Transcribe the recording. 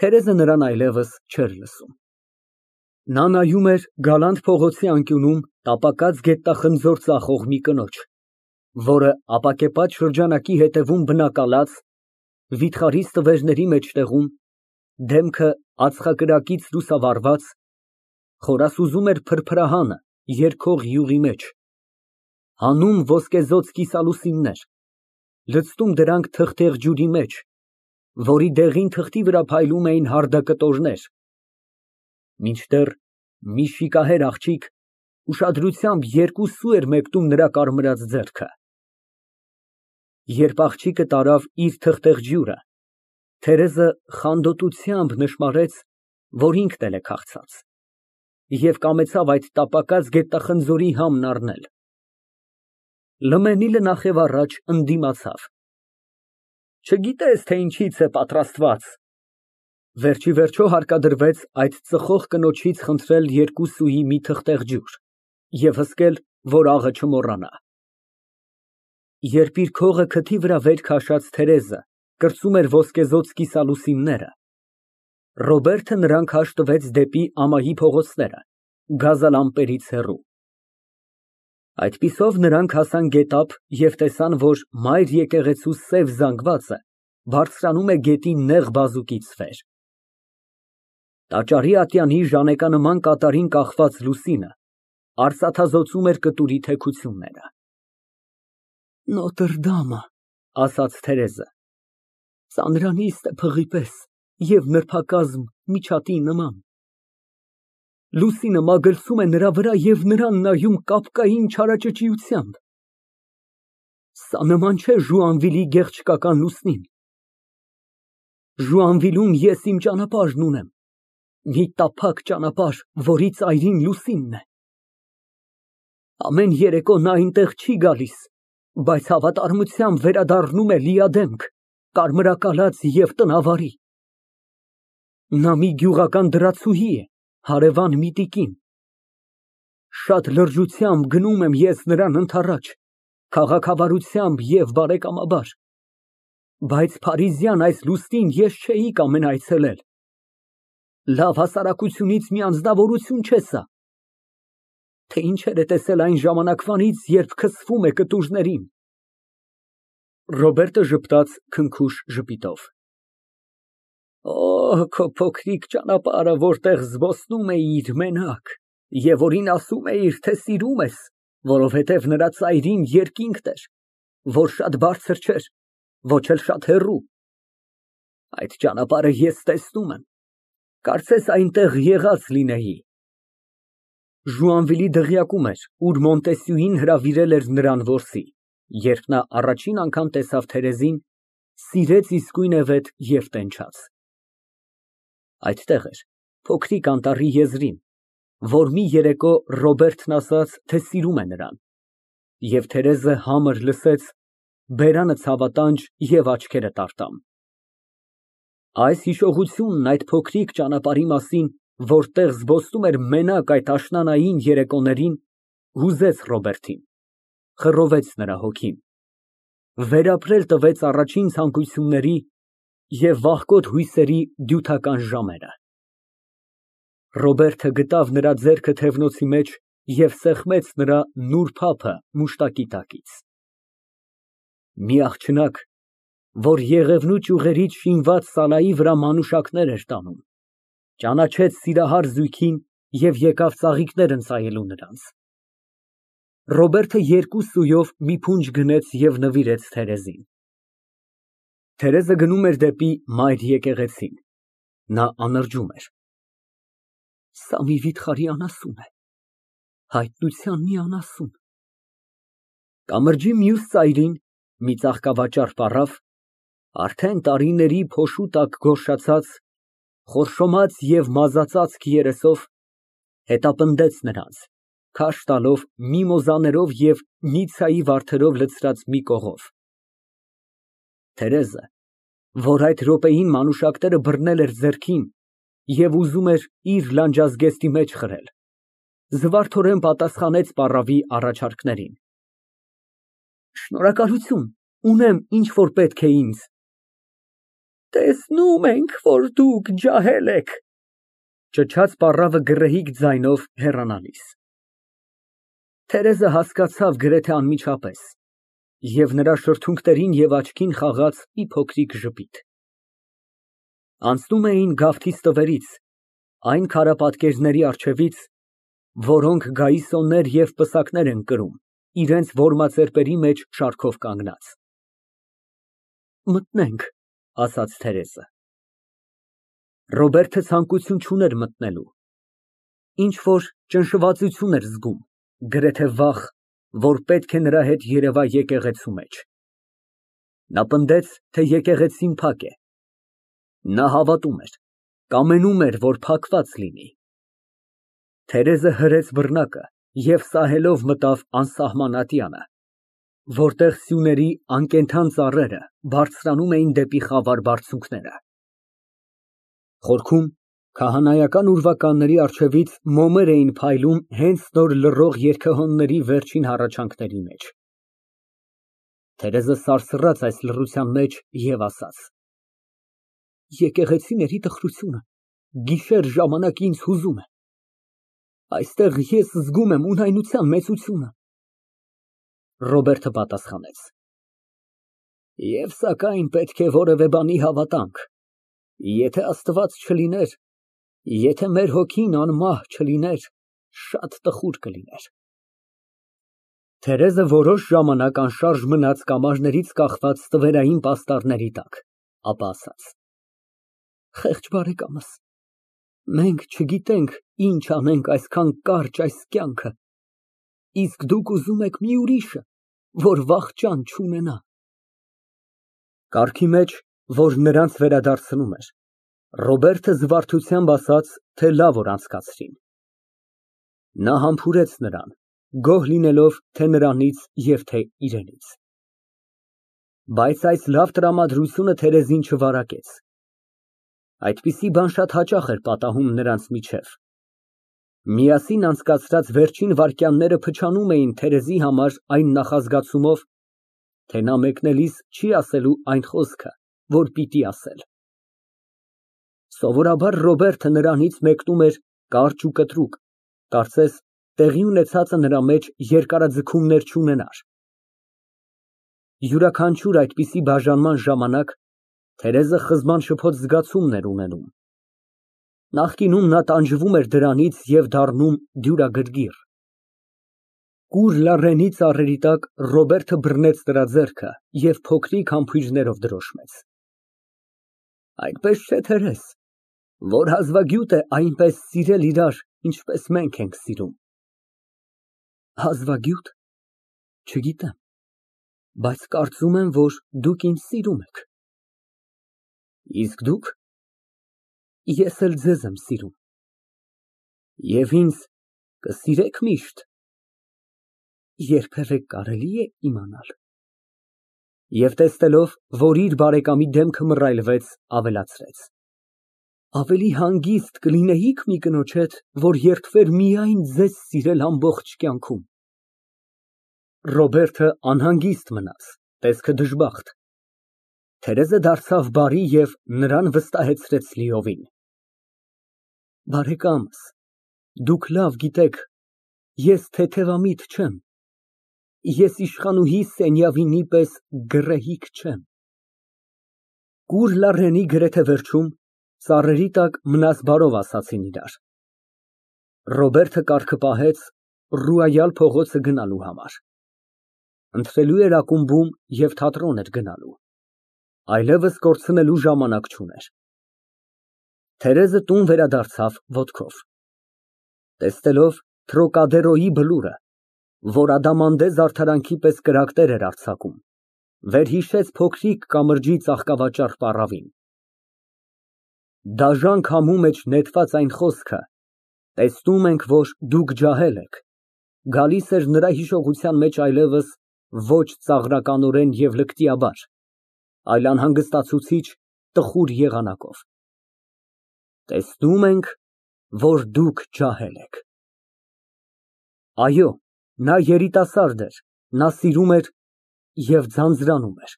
Թերեզը նրան այլևս չէր լսում։ Նա նայում էր գալանտ փողոցի անկյունում տապակած գետնախնձոր ծախող մի կնոջ, որը ապակեպատ շրջանակի հետևում բնակալած, վիթխարի ստվերների մեջտեղում, դեմքը ածխակրակից լուսավարված, խորասուզում էր փրփրահանը երգող յուղի մեջ, հանում ոսկեզօծ կիսալուսիններ, լցնում դրանք թղթեղ ջուրի մեջ, որի դեղին թղթի վրա փայլում էին հարդակտորներ, մինչդեռ մի շիկահեր աղջիկ ուշադրությամբ երկու սու էր մեկնում նրա կարմրած ձեռքը։ Երբ աղջիկը տարավ իր թղթեղ ջուրը, Թերեզը խանդոտությամբ նշմարեց, որ ինքն էլ է քաղցած, և կամեցավ այդ տապակած գետնախնձորի համն առնել։ Լմենիլը նախև ընդդիմացավ։ Չգիտես, թե ինչից է պատրաստված։ Վերջիվերջո հարկադրվեց այդ ծխող կնոջից խնդրել երկու սուի մի թղթեղ ջուր և հսկել, որ աղը չմոռանա։ Երբ իր քողը քթի վրա վեր քաշած Թերեզը կրծում էր ոսկեզօծ կիսալուսինները, Ռոբերտը նրան քաշ տվեց դեպի ամայի փողոցները, գազալամպերից հեռու։ Այդպիսով նրանք հասան գետափ և տեսան, որ մայր եկեղեցու սև զանգվածը բարձրանում է գետի նեղ բազուկից վեր։ Տաճարի ատյանի ժանեկանման կատարին կախված լուսինը արծաթազօծում էր կտուրի թեքությունները։ Նոտրդամը, ասաց Թերեզը, ծանրանիստ է փղի պես և նրբակազմ միջատի նման։ Լուսինը մագլցում է նրա վրա և նրան նայում կապկային չարաճճիությամբ։ Սա նման չէ Ժուանվիլի գեղչկական լուսնին։ Ժուանվիլում ես իմ ճանապարհն ունեմ, մի տափակ ճանապարհ, որի ծայրին լուսինն է։ Ամեն երեկո նա այնտեղ չի գալիս, բայց հավատարմությամբ վերադառնում է լիադեմք, կարմրակալած և տնավարի։ Նա մի գյուղական դրացուհի է, հարևան մի տիկին։ Շատ լրջությամբ գնում եմ ես նրան ընդառաջ, քաղաքավարությամբ և բարեկամաբար, բայց փարիզյան այս լուսնին ես չէի կամենա այցելել։ Լավ հասարակությունից մի անձնավորություն չէ սա, թե ինչեր է տեսել այն ժամանակվանից, երբ քսվում է կտուրներին։ Ռոբերտը ժպտաց քնքուշ ժպիտով։ Օ, քո փոքրիկ ճանապարհը, որտեղ զբոսնում էիր մենակ, և որին ասում էիր, թե սիրում ես, որովհետև նրա ծայրին երկինքն էր, որ շատ բարձր չէր, ոչ էլ շատ հեռու։ Այդ ճանապարհը ես տեսնում եմ, կարծես այնտեղ եղած լինեի։ Ժուանվիլի դղյակում էր, ուր Մոնտեսյուին հրավիրել էր նրան որսի, երբ նա առաջին անգամ տեսավ Թերեզին, սիրեց իսկույնևեթ և տենչաց։ Այդտեղ էր, փոքրիկ անտառի եզրին, որ մի երեկո Ռոբերտն ասաց, թե սիրում է նրան, և Թերեզը համր լսեց, բերանը ցավատանջ և աչքերը տարտամ։ Այս հիշողությունն այդ փոքրիկ ճանապարհի մասին, որտեղ զբոսնում էր մենակ այդ աշնանային երեկոներին, հուզեց Ռոբերտին, խռովեց նրա հոգին, վերապրել տվեց առաջին ցանկությունների և վախկոտ հույսերի դյութական ժամերը։ Ռոբերտը գտավ նրա ձեռքը թևնոցի մեջ և սեղմեց նրա նուրբ ափը մուշտակի տակից։ Մի աղջնակ, որ Եղևնու ճյուղերից շինված սալայի վրա մանուշակներ էր տանում, ճանաչեց սիրահար զույգին և եկավ ծաղիկներ ընծայելու նրանց։ Ռոբերտը երկու սուով մի փունջ գնեց և նվիրեց Թերեզին։ Թերեզը գնում էր դեպի մայր եկեղեցին։ Նա անրջում էր։ Սա մի վիթխարի անասուն է, հայտնության մի անասուն։ Կամրջի մյուս ծայրին մի ծաղկավաճառ պառավ, արդեն տարիների փոշու տակ գորշացած, խորշոմած և մազածածկ երեսով, հետապնդեց նրանց, քաշ տալով միմոզաներով և նիցիայի վարդերով լցրած մի կողով։ Թերեզը, որ այդ րոպեին մանուշակները բռնել էր ձեռքին և ուզում էր իր լանջազգեստի մեջ խրել, զվարթորեն պատասխանեց պառավի առաջարկներին։ Շնորհակալություն, ունեմ, ինչ որ պետք է ինձ։ Տեսնում ենք, որ դուք ջահել եք, ճչաց պառավը գռեհիկ ձայնով հեռանալիս։ Թերեզը հասկացավ գրեթե անմիջապես, և նրա շրթունքներին և աչքին խաղաց մի փոքրիկ ժպիտ։ Անցնում էին գավթի ստվերից, այն քարապատկերների առջևից, որոնք գայիսոններ և պսակներ են կրում, իրենց որմացերպերի մեջ շարքով կանգնած։ Մտնենք, ասաց Թերեզը։ Ռոբերտը ցանկություն չուներ մտնելու, ինչ֊որ ճնշվածություն էր զգում, գրեթե վախ, որ պետք է նրա հետ երևա եկեղեցու մեջ։ Նա պնդեց, թե եկեղեցին փակ է։ Նա հավատում էր, կամենում էր, որ փակված լինի։ Թերեզը հրեց բռնակը և սահելով մտավ անսահման ատյանը, որտեղ սյուների անկենդան ծառերը բարձրանում էին դեպի խավար բարձունքները։ Խորքում քահանայական ուրվականների առջևից մոմեր էին փայլում հենց նոր լռող երգեհոնների վերջին հառաչանքների մեջ։ Թերեզը սարսռաց այս լռության մեջ և ասաց. Եկեղեցիների տխրությունը գիշեր ժամանակ ինձ հուզում է։ Այստեղ ես զգում եմ ունայնության մեծությունը։ Ռոբերտը պատասխանեց. Եվ սակայն պետք է որևէ բանի հավատանք, եթե Աստված չլիներ, եթե մեր հոգին անմահ չլիներ, շատ տխուր կլիներ։ Թերեզը որոշ ժամանակ անշարժ մնաց կամարներից կախված ստվերային պաստառների տակ, ապա ասաց. Խեղճ բարեկամս, մենք չգիտենք ինչ անենք այսքան կարճ այս կյանքը, իսկ դուք ուզում եք մի ուրիշը, որ վախճան չունենա։ Կառքի մեջ, որ նրանց վերադարձնում էր, Ռոբերտը զվարթությամբ ասաց, թե լավ օր անցկացրին։ Նա համբուրեց նրան, գոհ լինելով թե նրանից և թե իրենից։ Բայց այս լավ տրամադրությունը Թերեզին չվարակեց։ Այդպիսի բան շատ հաճախ էր պատահում նրանց միջև։ Միասին անցկացրած վերջին վայրկյանները փչանում էին Թերեզի համար այն նախազգացումով, թե նա մեկնելիս չի ասելու այն խոսքը, որ պիտի ասել։ Սովորաբար Ռոբերտը նրանից մեկնում էր կարճ ու կտրուկ, կարծես տեղի ունեցածը նրա մեջ երկարաձգումներ չունենար։ Յուրաքանչյուր այդպիսի բաժանման ժամանակ Թերեզը խզման շփոթ զգացումն էր ունենում։ Նախկինում նա տանջվում էր դրանից և դառնում դյուրագրգիռ։ Կուր լառենի ծառերի տակ Ռոբերտը բռնեց նրա ձեռքը և փոքրիկ համբույրներով դրոշմեց։ Այդպես չէ, Թերեզ, որ հազվագյուտ է այնպես սիրել իրար, ինչպես մենք ենք սիրում։ Հազվագյո՞ւտ, չգիտեմ, բայց կարծում եմ, որ դուք ինձ սիրում եք։ Իսկ դուք։ Ես էլ ձեզ եմ սիրում։ Եվ ինձ կսիրեք միշտ։ Երբևէ կարելի է իմանալ։ Եվ տեսնելով, որ իր բարեկամի դեմքը մռայլվեց, ավելացրեց. Ավելի հանգիստ կլինեիք մի կնոջ հետ, որ երդվեր միայն ձեզ սիրել ամբողջ կյանքում։ Ռոբերտը անհանգիստ մնաց, տեսքը դժբախտ։ Թերեզը դարձավ բարի և նրան վստահեցրեց լիովին։ Բարեկամս, դուք լավ գիտեք, ես թեթևամիտ չեմ, ես իշխանուհի Սենյավինի պես գռեհիկ չեմ։ Կուր լառենի գրեթե վերջում ծառերի տակ մնաս բարով ասացին իրար։ Ռոբերտը կառքը պահեց Ռուայալ փողոցը գնալու համար։ Ընթրելու էր ակումբում և թատրոն էր գնալու։ Այլևս կորցնելու ժամանակ չուներ։ Թերեզը տուն վերադարձավ ոտքով։ Տեսնելով Տրոկադերոյի բլուրը, որ ադամանդե զարդարանքի պես կրակներ էր արձակում, վերհիշեց փոքրիկ կամրջի ծաղկավաճառ պառավին։ Դաժան քամու մեջ նետված այն խոսքը. տեսնում ենք, որ դուք ջահել եք, գալիս էր նրա հիշողության մեջ այլևս ոչ ծաղրականորեն և լկտիաբար, այլ անհանգստացուցիչ տխուր եղանակով։ Տեսնում ենք, որ դուք ջահել եք։ Այո, նա երիտասարդ էր, նա սիրում էր և ձանձրանում էր։